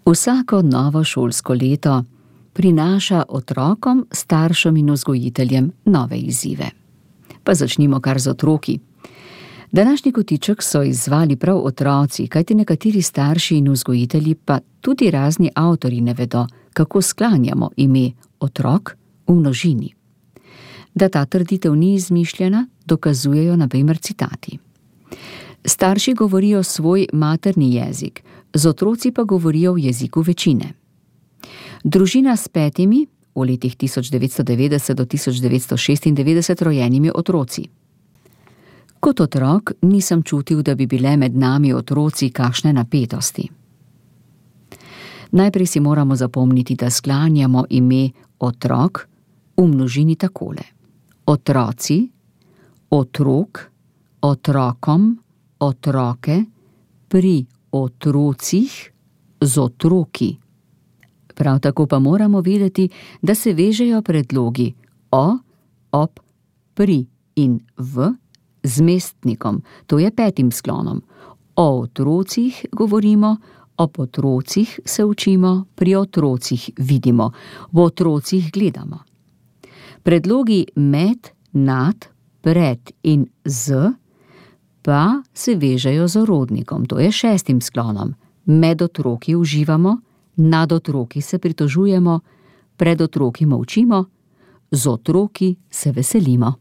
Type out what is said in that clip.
Vsako novo šolsko leto prinaša otrokom, staršem in vzgojiteljem nove izzive. Pa začnimo kar z otroki. Današnji kotiček so izzvali prav otroci, kajti nekateri starši in vzgojitelji, pa tudi razni avtorji ne vedo, kako sklanjamo ime otrok v množini. Da ta trditev ni izmišljena, dokazujejo na primer citati. Starši govorijo svoj materni jezik, z otroci pa govorijo v jeziku večine. Družina s 5 v letih 1990 do 1996 rojenimi otroci. Kot otrok nisem čutil, da bi bile med nami otroci kakšne napetosti. Najprej si moramo zapomniti, da sklanjamo ime otrok v množini takole: otroci, otrok, otrokom, otroke, pri otrocih, z otroki. Prav tako pa moramo vedeti, da se vežejo predlogi o, ob, pri in v z mestnikom, to je 5. sklonom. O otrocih govorimo, ob otrocih se učimo, pri otrocih vidimo, v otrocih gledamo. Predlogi med, nad, pred in z pa se vežejo z orodnikom, to je 6. sklonom. Med otroki uživamo, nad otroki se pritožujemo, pred otroki molčimo, z otroki se veselimo.